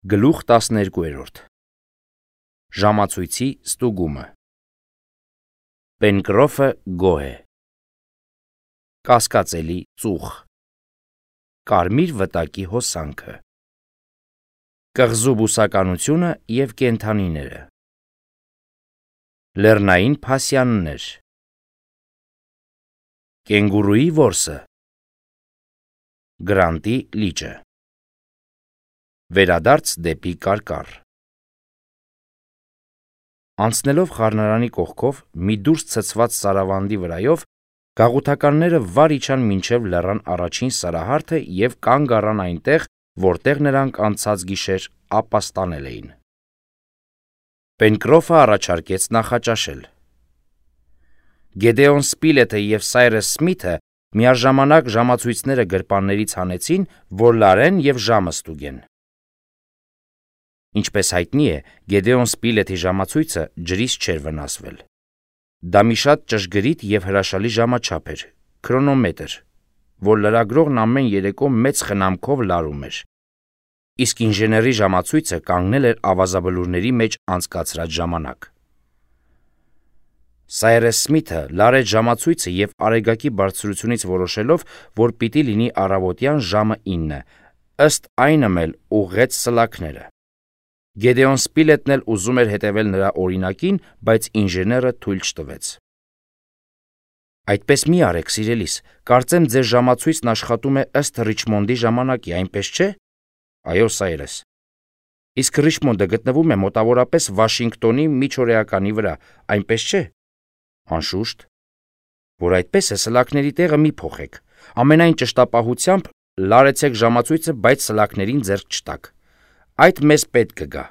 Գլուխ 12 Ժամացույցի ստուգումը Պենկրոֆը գոհ է Կասկածելի ծուխ Կարմիր վտակի հոսանքը Կղզու բուսականությունը և կենդանիները Լեռնային փասյաններ Կենգուրուի որսը Գրանտի լիճը Վերադարձ դեպի կարկառ Անցնելով խառնարանի կողքով մի դուրս ցցված սարավանդի վրայով գաղութականները վար իջան մինչև լեռան առաջին սարահարթը և կանգ առան այնտեղ, որտեղ նրանք անցած գիշեր ապաստանել էին։ Պենկրոֆը առաջարկեց նախաճաշել։ Գեդեոն Սպիլեթը և Սայրես Սմիթը միաժամանակ ժամացույցները գրպաններից հանեցին, որ լարեն և ժամը ստուգեն։ Ինչպես հայտնի է, Գեդեոն Սպիլեթի ժամացույցը ջրից չէր վնասվել։ Դա մի շատ ճշգրիտ և հրաշալի ժամաչափ էր, քրոնոմետր, որ լրագրողն ամեն երեկո մեծ խնամքով լարում էր, իսկ ինժեների ժամացույցը կանգնել էր ավազաբլուրների մեջ անցկացրած ժամանակ։ Սայրես Սմիթը լարեց ժամացույցը և արեգակի բարձրությունից որոշելով, որ պիտի լինի առավոտյան ժամը 9, ըստ այնմ էլ ուղղեց սլաքները։ Գեդեոն Սպիլետն էլ ուզում էր հետևել նրա օրինակին, բայց ինժեները թույլ չտվեց։ Այդպես մի արեք, սիրելիս, կարծեմ ձեր ժամացույցն աշխատում է ըստ Ռիչմոնդի ժամանակի, այնպես չէ։ Այո, Սայրես։ Իսկ Ռիչմոնդը գտնվում է մոտավորապես Վաշինգտոնի միջօրեականի վրա, այնպես չէ։ Անշուշտ։ Որ այդպես է, սլաքների տեղը մի փոխեք։ Ամենայն ճշտապահությամբ լարեցեք ժամացույցը, բայց սլաքներին ձեռք չտաք։ Այդ մեզ պետք կգա։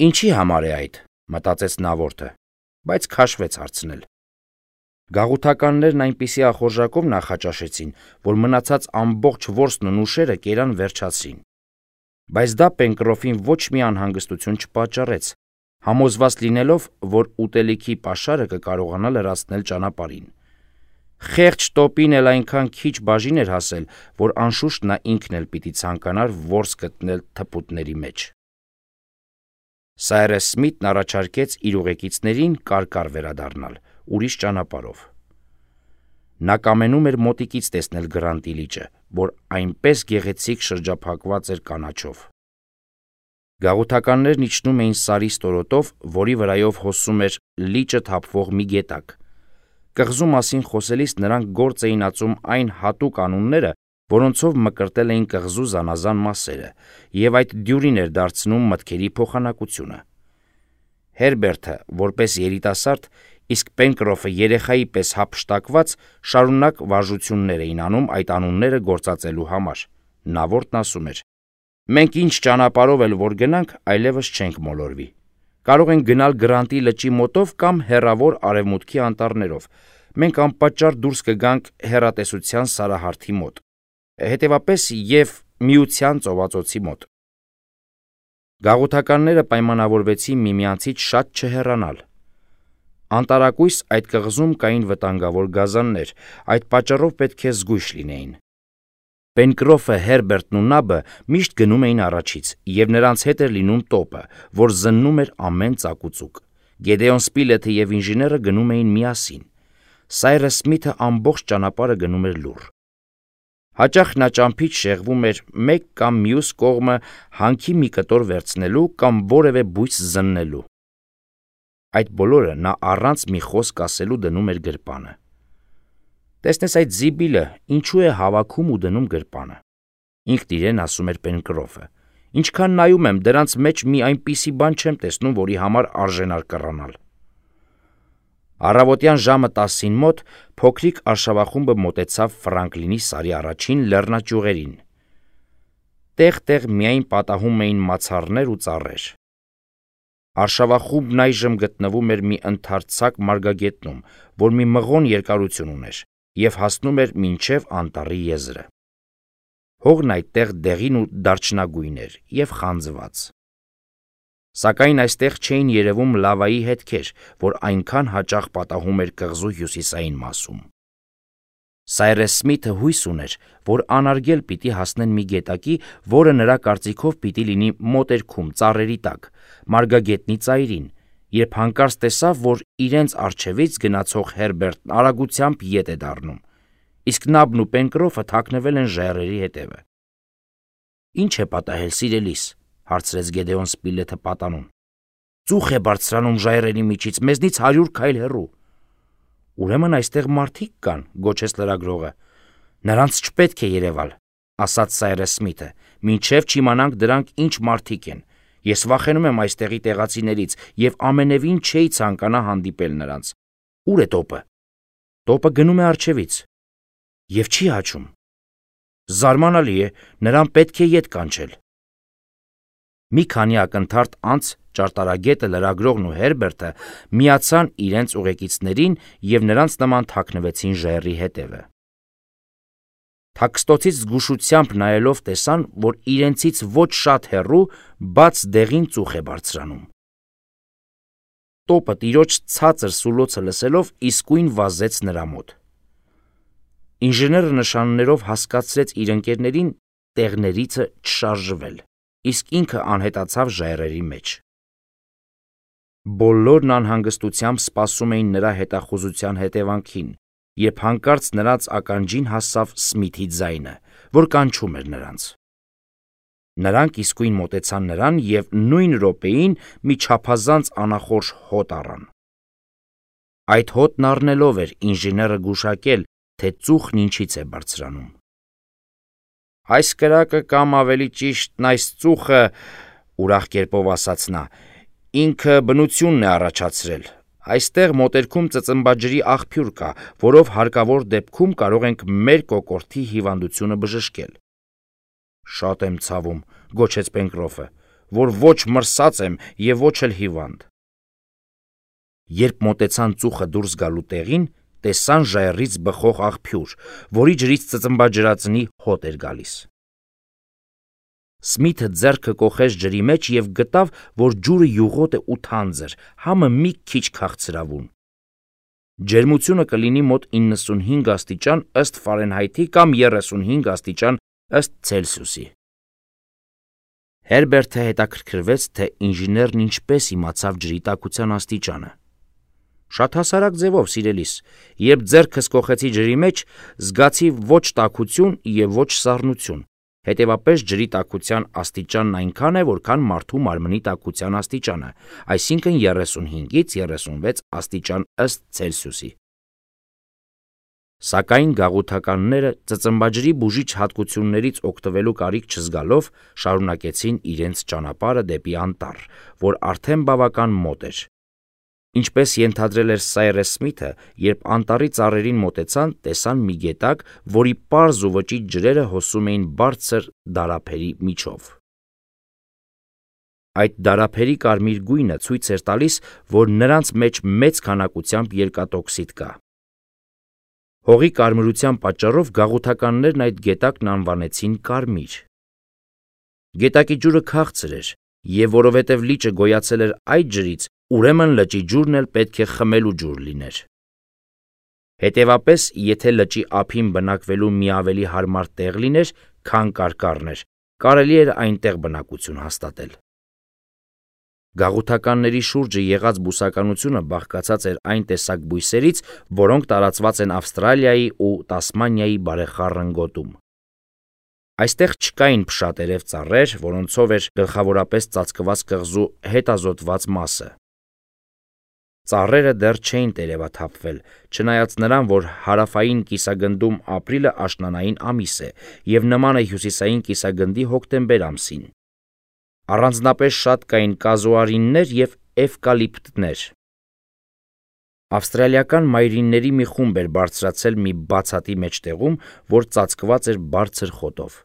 Ինչի համար է այդ, մտածեց նավորդը, բայց քաշվեց հարցնել։ Գաղութականներն այնպիսի ախորժակով նախաճաշեցին, որ մնացած ամբողջ որսն ու նուշերը կերան վերջացրին։ Բայց դա Պենկրոֆին ոչ մի անհանգստություն չպատճառեց, համոզված լինելով, որ ուտելիքի պաշարը կկարողանա լրացնել ճանապարհին։ Խեղճ տոպին էլ այնքան քիչ բաժին էր հասել, որ անշուշտ նա ինքն էլ պիտի ցանկանար որս գտնել թփուտների մեջ։ Սայրես Սմիթն առաջարկեց իր ուղեկիցներին կարկառ վերադառնալ, ուրիշ ճանապարհով։ Նա կամենում էր մոտիկից տեսնել Գրանտի լիճը, որ այնպես գեղեցիկ շրջափակված էր կանաչով։ Գաղութականներն իջնում էին սարի ստորոտով, որի վրայով հոսում էր լիճը թափվող մի գետակ։ Կղզու մասին խոսելիս նրանք գործ էին ածում այն հատուկ անունները, որոնցով մկրտել էին կղզու զանազան մասերը, և այդ դյուրին էր դարձնում մտքերի փոխանակությունը։ Հերբերտը, որպես երիտասարդ, իսկ Պենկրոֆը երեխայի պես հափշտակված, շարունակ վարժություններ էին անում այդ անունները գործածելու համար։ Նավորդն ասում էր. «Մենք ինչ ճանապարհով էլ որ գնանք, այլևս չենք մոլորվի։ Կարող ենք գնալ Գրանտի լճի մոտով կամ հեռավոր արևմուտքի անտառներով։ Մենք անպատճառ դուրս կգանք հեռատեսության սարահարթի մոտ, հետևապես և Միության ծովածոցի մոտ»։ Գաղութականները պայմանավորվեցին միմյանցից շատ չհեռանալ։ Անտարակույս այդ կղզում կային վտանգավոր գազաններ, այդ պատճառով պետք է զգույշ լինեին։ Պենկրոֆը, Հերբերտն ու Նաբը միշտ գնում էին առաջից, և նրանց հետ էր լինում տոպը, որ զննում էր ամեն ծակուծուկ։ Գեդեոն Սպիլեթը և ինժեները գնում էին միասին։ Սայրես Սմիթը ամբողջ ճանապարհը գնում էր լուռ։ Հաճախ նա ճամփից շեղվում էր մեկ կամ մյուս կողմը հանքի մի կտոր վերցնելու կամ որևէ բույս զննելու։ Այդ բոլորը նա առանց մի խոսք ասելու դնում էր գրպանը։ Տեսնես այդ զիբիլը ինչու է հավաքում ու դնում գրպանը, ինքն իրեն ասում էր Պենկրոֆը։ Ինչքան նայում եմ, դրանց մեջ մի այնպիսի բան չեմ տեսնում, որի համար արժենար կռանալ։ Առավոտյան ժամը 10-ին մոտ փոքրիկ արշավախումբը մոտեցավ Ֆրանկլինի սարի առաջին լեռնաճյուղերին։ Տեղ-տեղ միայն պատահում էին մացառներ ու ծառեր։ Արշավախումբն այժմ գտնվում էր մի ընդարձակ մարգագետնում, որ մի մղոն երկարություն ուներ, և հասնում էր մինչև անտառի եզրը։ Հողն այդտեղ դեղին ու դարչնագույն էր և խանձված։ Սակայն այստեղ չէին երևում լավայի հետքեր, որ այնքան հաճախ պատահում էր կղզու հյուսիսային մասում։ Սայրես Սմիթը հույս ուներ, որ անարգել պիտի հասնեն մի գետակի, որը նրա կարծիքով պիտի լինի մոտերքում ծառերի տակ, մարգագետնի ծայրին, երբ հանկարծ տեսավ, որ իրենց առջևից գնացող Հերբերտն արագությամբ ետ է դառնում, իսկ Նաբն ու Պենկրոֆը թաքնվել են ժայռերի հետևը։ «Ինչ է պատահել, սիրելիս», հարցրեց Գեդեոն Սպիլեթը պատանուն։ «Ծուխ է բարձրանում ժայռերի միջից, մեզնից 100 քայլ հեռու»։ «Ուրեմն այստեղ մարդիկ կան», գոչեց լրագրողը։ «Նրանց չպետք է երևալ», ասաց Սայրես Սմիթը, «մինչև չիմանանք դրանք ինչ մարդիկ են։ Ես վախենում եմ այստեղի տեղացիներից եւ ամենևին չէի ցանկանա հանդիպել նրանց։ Ուր է տոպը»։ «Տոպը գնում է առջևից»։ «Եվ չի հաչում»։ «Զարմանալի է, նրան պետք է ետ կանչել»։ Մի քանի ակնթարթ անց ճարտարագետը, լրագրողն ու Հերբերտը միացան իրենց ուղեկիցներին եւ նրանց նման թաքնվեցին ժայռի հետևը։ Թաքստոցից զգուշությամբ նայելով տեսան, որ իրենցից ոչ շատ հեռու բաց դեղին ծուխ է բարձրանում։ Տոպը տիրոջ ցածր սուլոցը լսելով իսկույն վազեց նրա մոտ։ Ինժեները նշաններով հասկացրեց իր ընկերներին տեղներիցը չշարժվել, իսկ ինքը անհետացավ ժայռերի մեջ։ Բոլորն անհանգստությամբ սպասում էին նրա հետախուզության հետևանքին, երբ հանկարծ նրանց ականջին հասավ Սմիթի ձայնը, որ կանչում էր նրանց։ Նրանք իսկույն մոտեցան նրան եւ նույն րոպեին մի չափազանց անախորժ հոտ առան։ Այդ հոտն առնելով էր ինժեները գուշակել, թե ծուխն ինչից է բարձրանում։ «Այս կրակը կամ ավելի ճիշտ այս ծուխը, ուրախ կերպով ասաց նա, ինքը բնությունն է առաջացրել։ Այստեղ մոտերքում ծծմբաջրի աղբյուր կա, որով հարկավոր դեպքում կարող ենք մեր կոկորդի հիվանդությունը բժշկել»։ «Շատ եմ ցավում», գոչեց Պենկրոֆը, «որ ոչ մրսած եմ եւ ոչ էլ հիվանդ»։ Երբ մոտեցան ծուխը դուրս գալու տեղին, տեսան ժայռից բխող աղբյուր, որի ջրից ծծմբաջրածնի հոտ էր գալիս։ Սմիթը ձեռքը կոխեց ջրի մեջ եւ գտավ, որ ջուրը յուղոտ է ու թանձր, համը մի քիչ քաղցրավուն։ Ջերմությունը կլինի մոտ 95 աստիճան ըստ Ֆարենհայթի կամ 35 աստիճան ըստ Ցելսիուսի։ Հերբերտը հետաքրքրվեց, թե ինժեներն ինչպես իմացավ ջրի տաքության աստիճանը։ «Շատ հասարակ ձևով, սիրելիս, երբ ձեռքս կոխեցի ջրի մեջ, զգացի ոչ տաքություն եւ ոչ սառնություն, հետեւապես ջրի տաքության աստիճանն այնքան է, որքան մարդու մարմնի տաքության աստիճանը, այսինքն 35-ից 36 աստիճան ըստ Ցելսիուսի»։ Սակայն գաղութականները ծծմբաջրի բուժիչ հատկություններից օգտվելու կարիք չզգալով շարունակեցին իրենց ճանապարհը դեպի անտառ, որ արդեն բավական մոտ էր։ Ինչպես ենթադրել էր Սայրես Սմիթը, երբ անտառի ծառերին մոտեցան, տեսան մի գետակ, որի պարզ ու վճիտ ջրերը հոսում էին բարձր դարափերի միջով։ Այդ դարափերի կարմիր գույնը ցույց էր տալիս, որ նրանց մեջ մեծ քանակությամբ երկաթօքսիդ կա։ Հողի կարմրության պատճառով գաղութականներն այդ գետակն անվանեցին կարմիր։ Գետակի ջուրը քաղցր էր, եւ որովհետեւ լիճը գոյացել էր այդ ջրից, ուրեմն լճի ջուրն էլ պետք է խմելու ջուր լիներ։ Հետևապես, եթե լճի ափին բնակվելու մի ավելի հարմար տեղ լիներ, քան կարկառն էր, կարելի էր այնտեղ բնակություն հաստատել։ Գաղութականների շուրջը եղած բուսականությունը բաղկացած էր այն տեսակ բույսերից, որոնք տարածված են Ավստրալիայի ու Տասմանիայի բարեխառն գոտում։ Այստեղ չկային փշատերև ծառեր, որոնցով էր գլխավորապես ծածկված կղզու հետազոտված մասը։ Ծառերը դեռ չէին տերևաթափվել, չնայած նրան, որ հարավային կիսագնդում ապրիլը աշնանային ամիս է եւ նման է հյուսիսային կիսագնդի հոկտեմբեր ամսին։ Առանձնապես շատ կային կազուարիններ եւ էվկալիպտներ։ Ավստրալիական մայրինների մի խումբ էր բարձրացել մի բացատի մեջտեղում, որ ծածկված էր բարձր խոտով։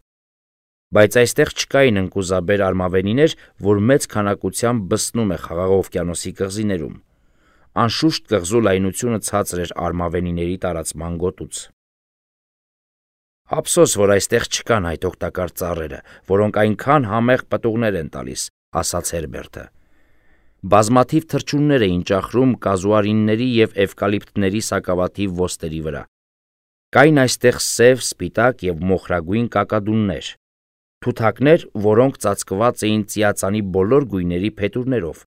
Բայց այստեղ չկային ընկուզաբեր արմավենիներ, որ մեծ քանակությամբ բսնում է Խաղաղ օվկիանոսի կղզիներում։ Անշուշտ կղզու լայնությունը ցածր էր արմավենիների տարածման գոտուց։ Ափսոս, որ այստեղ չկան այդ օգտակար ծառերը, որոնք այնքան համեղ պտուղներ են տալիս, ասաց Հերբերտը։ Բազմաթիվ թռչուններ էին ճախրում կազուարինների եւ էվկալիպտների սակավաթիվ ոստերի վրա։ Կային այստեղ սև, սպիտակ և մոխրագույն կակադուններ, թութակներ, որոնք ծածկված էին ծիածանի բոլոր գույների փետուրներով,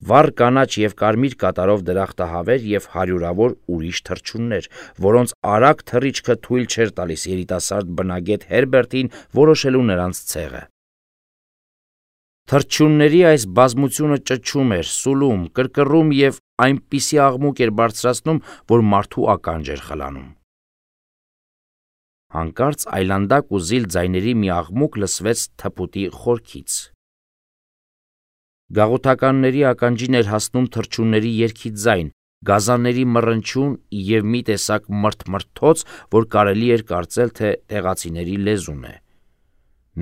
վառ կանաչ և կարմիր կատարով դրախտահավեր և հարյուրավոր ուրիշ թռչուններ, որոնց արագ թռիչքը թույլ չէր տալիս երիտասարդ բնագետ Հերբերտին որոշելու նրանց ցեղը։ Թռչունների այս բազմությունը ճչում էր, սուլում, կռկռում և այնպիսի աղմուկ էր բարձրացնում, որ մարդու ականջ էր խլանում։ Հանկարծ այլանդակ ու զիլ ձայների մի աղմուկ լսվեց թփուտի խորքից։ Գաղութականների ականջին էր հասնում թռչունների երգի ձայն, գազանների մռնչյուն և մի տեսակ մրթմրթոց, որ կարելի էր կարծել, թե տեղացիների լեզուն է։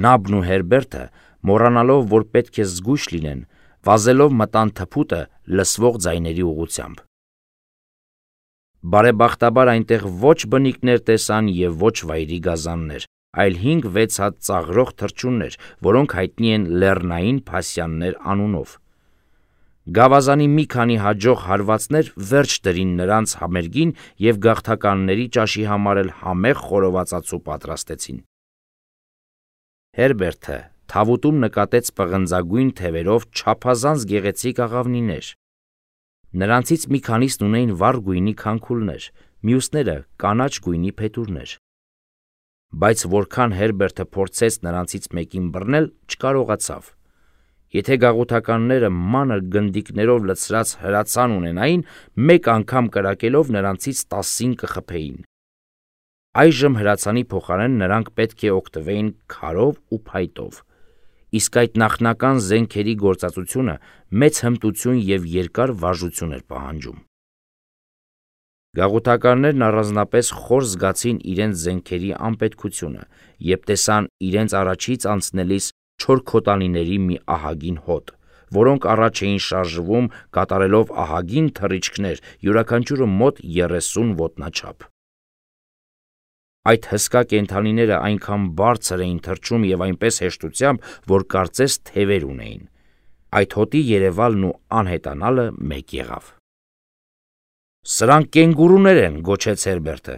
Նաբն ու Հերբերտը, մոռանալով, որ պետք է զգույշ լինեն, վազելով մտան թփուտը լսվող ձայների ուղղությամբ։ Բարեբախտաբար այնտեղ ոչ բնիկներ տեսան և ոչ վայրի գազաններ, այլ 5-6 հատ ծաղրող թռչուններ, որոնք հայտնի են լեռնային փասյաններ անունով։ Գավազանի մի քանի հաջող հարվածներ վերջ դրին նրանց համերգին և գաղթականների ճաշի համար էլ համեղ խորովածածու պատրաստեցին։ Հերբերտը թավուտում նկատեց պղնձագույն թևերով չափազանց գեղեցիկ աղավնիներ։ Նրանցից մի քանիսն ունեին վառ գույնի քանքուլներ, մյուսները կանաչ գույնի փետուրներ։ Բայց որքան Հերբերտը փորձեց նրանցից մեկին բռնել, չկարողացավ։ Եթե գաղութականները մանր գնդիկներով լցրած հրացան ունենային, մեկ անգամ կրակելով նրանցից 10-ին կխփեին։ Այժմ հրացանի փոխարեն նրանք պետք է օգտվեին քարով ու փայտով, իսկ այդ նախնական զենքերի գործածությունը մեծ հմտություն և երկար վարժություն էր պահանջում։ Գաղութականներն առանձնապես խոր զգացին իրենց զենքերի անպետքությունը, երբ տեսան իրենց առաջից անցնելիս չորքոտանիների մի ահագին հոտ, որոնք առաջ էին շարժվում, կատարելով ահագին թռիչքներ, յուրաքանչյուրը մոտ 30 ոտնաչափ։ Այդ հսկա կենդանիները այնքան բարձր էին թռչում և այնպես հեշտությամբ, որ կարծես թևեր ունեին։ Այդ հոտի երևալն ու անհետանալը մեկ եղավ։ «Սրանք կենգուրուներ են», գոչեց Հերբերտը։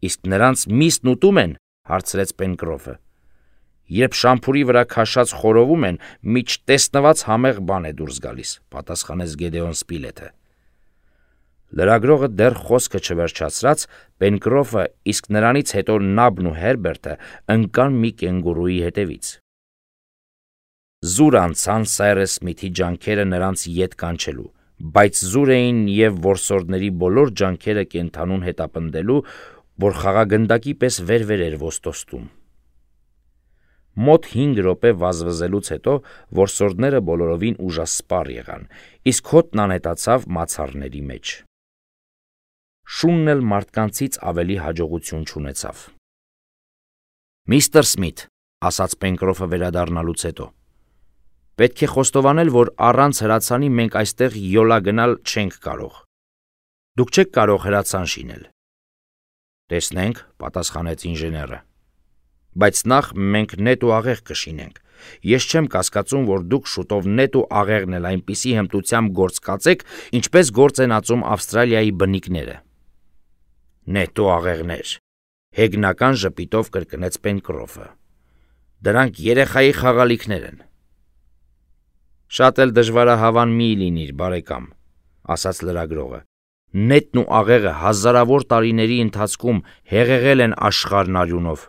«Իսկ նրանց միսն ուտում են», հարցրեց Պենկրոֆը։ «Երբ շամփուրի վրա քաշած խորովում են, մի չտեսնված համեղ բան է դուրս գալիս», պատասխանեց Գեդեոն Սպիլեթը։ Լրագրողը դեռ խոսքը չվերջացրած, Պենկրոֆը, իսկ նրանից հետո Նաբն ու Հերբերտը ընկան մի կենգուրուի հետևից։ Զուր անցան Սայրես Սմիթի ջանքերը նրանց ետ կանչելու, բայց զուր էին և որսորդների բոլոր ջանքերը կենդանուն հետապնդելու, որ խաղագնդակի պես վեր-վեր էր ոստոստում։ Մոտ 5 րոպե վազվզելուց հետո որսորդները բոլորովին ուժասպառ եղան, իսկ հոտն անհետացավ մացառների մեջ։ Շունն էլ մարդկանցից ավելի հաջողություն չունեցավ։ «Միստր Սմիթ», ասաց Պենկրոֆը վերադառնալուց հետո, «պետք է խոստովանել, որ առանց հրացանի մենք այստեղ յոլա գնալ չենք կարող։ Դուք չեք կարող հրացան շինել»։ «Տեսնենք», պատասխանեց ինժեները։ «Բայց նախ մենք նետ ու աղեղ կշինենք։ Ես չեմ կասկածում, որ դուք շուտով նետ ու աղեղն էլ այնպիսի հմտությամբ գործ կածեք, ինչպես գործ են ածում Ավստրալիայի բնիկները»։ «Նետ ու աղեղներ», հեգնական ժպիտով կրկնեց Պենկրոֆը։ «Դրանք երեխայի խաղալիքներ են»։ «Շատ էլ դժվարահավան մի լինիր, բարեկամ», ասաց լրագրողը։ «Նետն ու աղեղը հազարավոր տարիների ընթացքում հեղեղել են աշխարհն արյունով։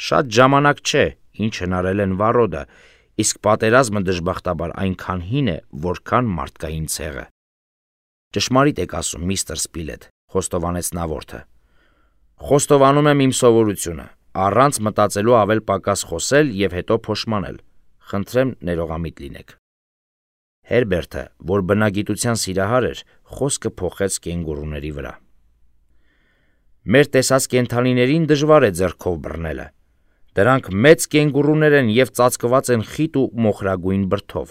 Շատ ժամանակ չէ, ինչ հնարել են վառոդը, իսկ պատերազմը դժբախտաբար այնքան հին է, որքան մարդկային ցեղը»։ «Ճշմարիտ եք ասում, միստր Սպիլեթ», խոստովանեց նավորդը։ «Խոստովանում եմ իմ սովորությունը, առանց մտածելու ավել պակաս խոսել և հետո փոշմանել։ Խնդրեմ ներողամիտ լինեք»։ Հերբերտը, որ բնագիտության սիրահար էր, խոսքը փոխեց կենգուրուների վրա։ «Մեր տեսած կենդանիներին դժվար է ձեռքով բռնելը։ Դրանք մեծ կենգուրուներ են և ծածկված են խիտ ու մոխրագույն բրդով։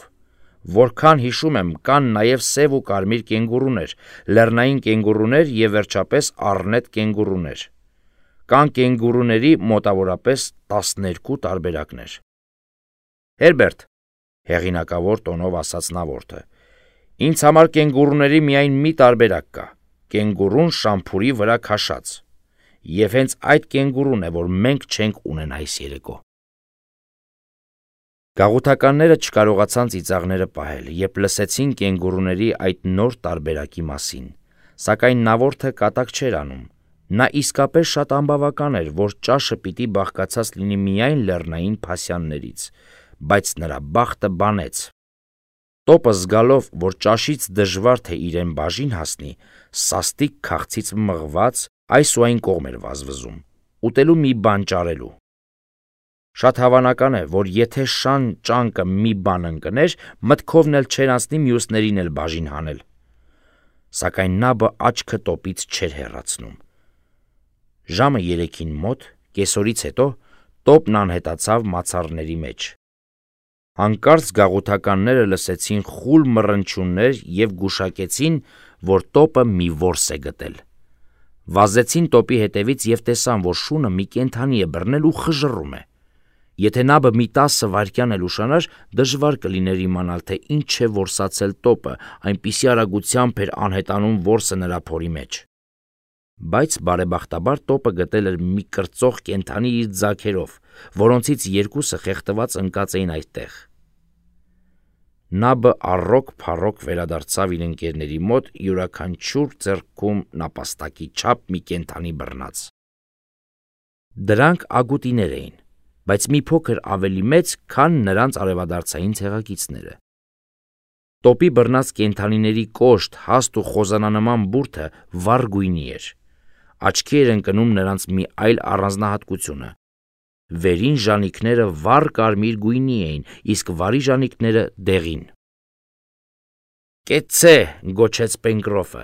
Որքան հիշում եմ, կան նաև սև ու կարմիր կենգուրուներ, լեռնային կենգուրուներ և վերջապես առնետ կենգուրուներ։ Կան կենգուրուների մոտավորապես 12 տարբերակներ»։ «Հերբերտ», հեղինակավոր տոնով ասաց նավորդը, «ինձ համար կենգուրուների միայն մի տարբերակ կա՝ կենգուրուն շամփուրի վրա քաշած։ Եվ հենց այդ կենգուրուն է, որ մենք չենք ունենա այս երեկո։ Գաղութականները չկարողացան ծիծաղները պահել, երբ լսեցին կենգուրուների այդ նոր տարբերակի մասին, սակայն նավորդը կատակ չէր անում։ Նա իսկապես շատ անբավական էր, որ ճաշը պիտի բաղկացած լինի միայն լեռնային փասյաններից, բայց նրա բախտը բանեց։ Տոպը զգալով, որ ճաշից դժվար թե իրեն բաժին հասնի, սաստիկ քաղցից մղված այս ու այն կողմ էր վազվզում, ուտելու մի բան ճարելու։ Շատ հավանական է, որ եթե շան ճանկը մի բան ընկներ, մտքովն էլ չէր անցնի մյուսներին էլ բաժին հանել։ Սակայն նաբը աչքը տոպից չէր հեռացնում։ Ժամը 3-ին մոտ, կեսօրից հետո, տոպն անհետացավ մացառների մեջ։ Հանկարծ գաղութականները լսեցին խուլ մռնչյուններ և գուշակեցին, որ տոպը մի որս է գտել։ Վազեցին տոպի հետևից և տեսան, որ շունը մի կենդանի է բռնել ու խժռում է։ Եթե նաբը մի 10 վայրկյան էլ ուշանար, դժվար կլիներ իմանալ, թե ինչ է որսացել տոպը, այնպիսի արագությամբ էր անհետանում որսը նրա փորի մեջ։ Բայց բարեբախտաբար տոպը գտել էր մի կրծող կենդանի իր ձագերով, որոնցից երկուսը խեղդված ընկած էին այդտեղ։ Նաբը առոք-փառոք վերադարձավ իր ընկերների մոտ յուրաքանչյուր ձեռքում նապաստակի չափ մի կենդանի բռնած։ Դրանք ագուտիներ էին, բայց մի փոքր ավելի մեծ, քան նրանց արևադարձային ցեղակիցները։ Տոպի բռնած կենդանիների կոշտ, հաստ ու խոզանանման բուրդը վառ գույնի էր։ Աչքի էր ընկնում նրանց մի այլ առանձնահատկությունը։ Վերին ժանիքները վառ կարմիր գույնի էին, իսկ վարի ժանիքները դեղին։ «Կեցցե», գոչեց Պենկրոֆը,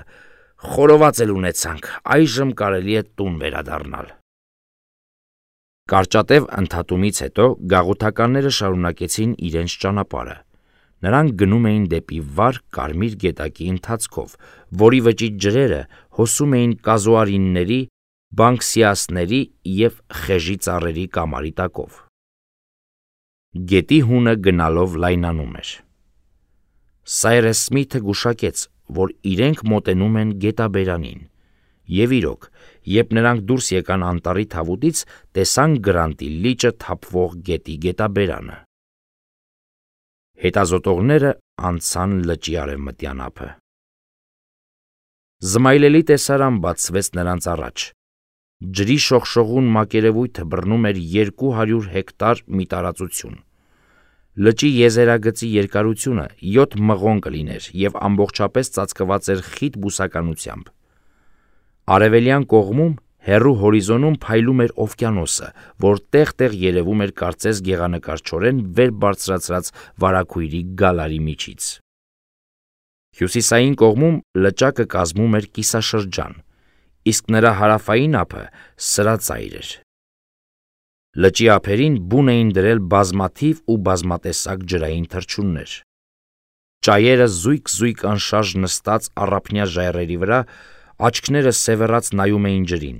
«խորոված էլ ունեցանք, այժմ կարելի է տուն վերադառնալ»։ Կարճատև ընդհատումից հետո գաղութականները շարունակեցին իրենց ճանապարհը։ Նրանք գնում էին դեպի վառ կարմիր գետակի ընթացքով, որի վճիտ ջրերը հոսում էին կազոարինների, բանկսիասների և խեժի ծառերի կամարի տակով։ Գետի հունը գնալով լայնանում էր։ Սայրես Սմիթը գուշակեց, որ իրենք մոտենում են գետաբերանին, և իրոք, երբ նրանք դուրս եկան անտառի թավուտից, տեսան Գրանտի լիճը թափվող գետի գետաբերանը։ Հետազոտողները անցան լճի արևմտյան ափը։ Զմայլելի տեսարան բացվեց նրանց առաջ։ Ջրի շողշողուն մակերևույթը բռնում էր 200 հեկտար մի տարածություն։ Լճի եզերագծի երկարությունը 7 մղոն կլիներ և ամբողջապես ծածկված էր խիտ բուսականությամբ։ Արևելյան կողմում, հեռու հորիզոնում փայլում էր օվկիանոսը, որ տեղ-տեղ երևում էր կարծես գեղանկարչորեն վեր բարձրացրած վարագույրի գալարի միջից։ Հյուսիսային կողմում լճակը կազմում էր կիսաշրջան, իսկ նրա հարավային ափը սրածայր էր։ Լճի ափերին բուն էին դրել բազմաթիվ ու բազմատեսակ ջրային թռչուններ։ Ճայերը զույգ-զույգ անշարժ նստած առափնյա ժայռերի վրա, աչքները սևեռած նայում էին ջրին։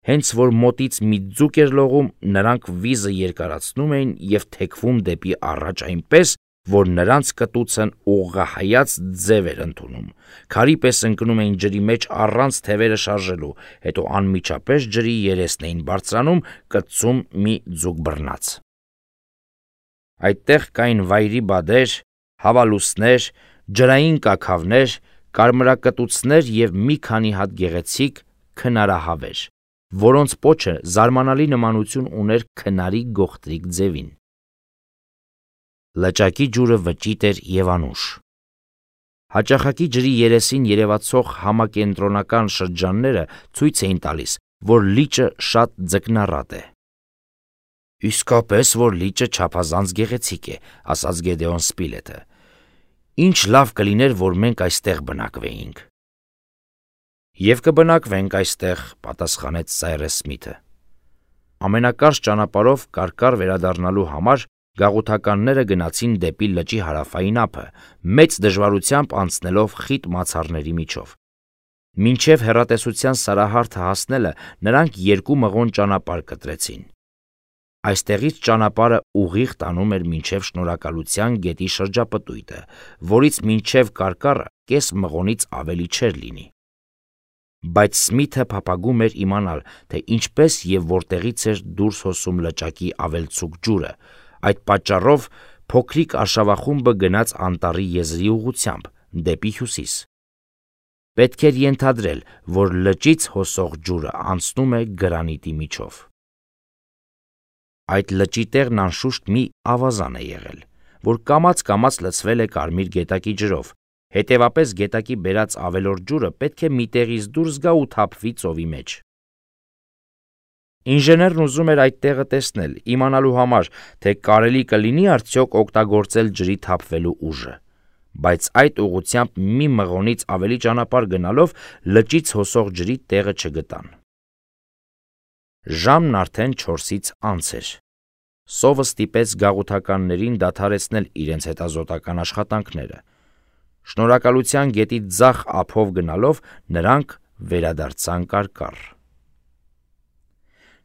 Հենց որ մոտից մի ձուկ էր լողում, նրանք վիզը երկարացնում էին և թեքվում դեպի առաջ այնպես, որ նրանց կտուցն ուղղահայաց ձև էր ընդունում, քարի պես ընկնում էին ջրի մեջ առանց թևերը շարժելու, հետո անմիջապես ջրի երեսն էին բարձրանում, կծում մի ձուկ բռնած։ Այդտեղ կային վայրի բադեր, հավալուսներ, ջրային կաքավներ, կարմրակտուցներ և մի քանի հատ գեղեցիկ քնարահավեր, որոնց պոչը զարմանալի նմանություն ուներ քնարի գողտրիկ ձևին։ Լճակի ջուրը վճիտ էր և անուշ։ Հաճախակի ջրի երեսին երևացող համակենտրոնական շրջանները ցույց էին տալիս, որ լիճը շատ ձկնառատ է։ «Իսկապես, որ լիճը չափազանց գեղեցիկ է», ասաց Գեդեոն Սպիլետը։ «Ինչ լավ կլիներ, որ մենք այստեղ բնակվեինք»։ «Եվ կբնակվենք այստեղ», պատասխանեց Սայրես Սմիթը։ Ամենակարճ ճանապարհով կարկառ վերադառնալու համար գաղութականները գնացին դեպի լճի հարավային ափը, մեծ դժվարությամբ անցնելով խիտ մացառների միջով։ Մինչև հեռատեսության սարահարթը հասնելը նրանք 2 մղոն ճանապարհ կտրեցին։ Այստեղից ճանապարհը ուղիղ տանում էր մինչև Շնորհակալության գետի շրջապտույտը, որից մինչև կարկառը կես մղոնից ավելի չէր լինի։ Բայց Սմիթը փափագում էր իմանալ, թե ինչպես եւ որտեղից էր դուրս հոսում լճակի ավելցուկ ջուրը։ Այդ պատճառով փոքրիկ արշավախումբը գնաց անտառի եզրի ուղղությամբ, դեպի հյուսիս։ Պետք էր ենթադրել, որ լճից հոսող ջուրը անցնում է գրանիտի միջով։ Այդ լճի տեղն անշուշտ մի ավազան է եղել, որ կամաց-կամաց լցվել է կարմիր գետակի ջրով, հետևապես գետակի բերած ավելորդ ջուրը պետք է մի տեղից դուրս գա ու թափվի ծովի մեջ։ Ինժեներն ուզում էր այդ տեղը տեսնել, իմանալու համար, թե կարելի կլինի արդյոք օգտագործել ջրի թափվելու ուժը, բայց այդ ուղղությամբ մի մղոնից ավելի ճանապարհ գնալով լճից հոսող ջրի տեղը չգտան։ Ժամն արդեն 4-ից անց էր։ Սովը ստիպեց գաղութականներին դադարեցնել իրենց հետազոտական աշխատանքները։ Շնորհակալության գետի ձախ ափով գնալով նրանք վերադարձան կարկառ։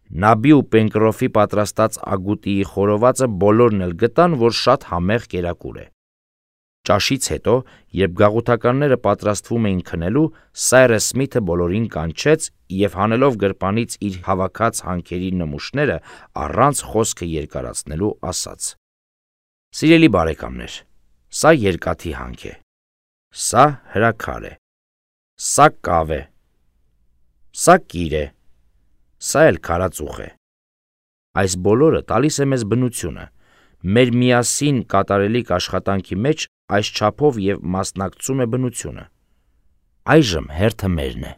Նաբի ու Պենկրոֆի պատրաստած ագուտիի խորովածը բոլորն էլ գտան, որ շատ համեղ կերակուր է։ Ճաշից հետո, երբ գաղութականները պատրաստվում էին քնելու, Սայրս Սմիթը բոլորին կանչեց եւ հանելով գրպանից իր հավաքած հանքերի նմուշները, առանց խոսքը երկարացնելու ասաց. «Սիրելի բարեկամներ, սա երկաթի հանք է, սա հրաքար է, սա կավ է, սա կիր է, սա էլ քարածուխ է։ Այս բոլորը տալիս է մեզ բնությունը։ Մեր միասին կատարելիք աշխատանքի մեջ այս չափով եւ մասնակցում է բնությունը։ Այժմ հերթը մերն է»։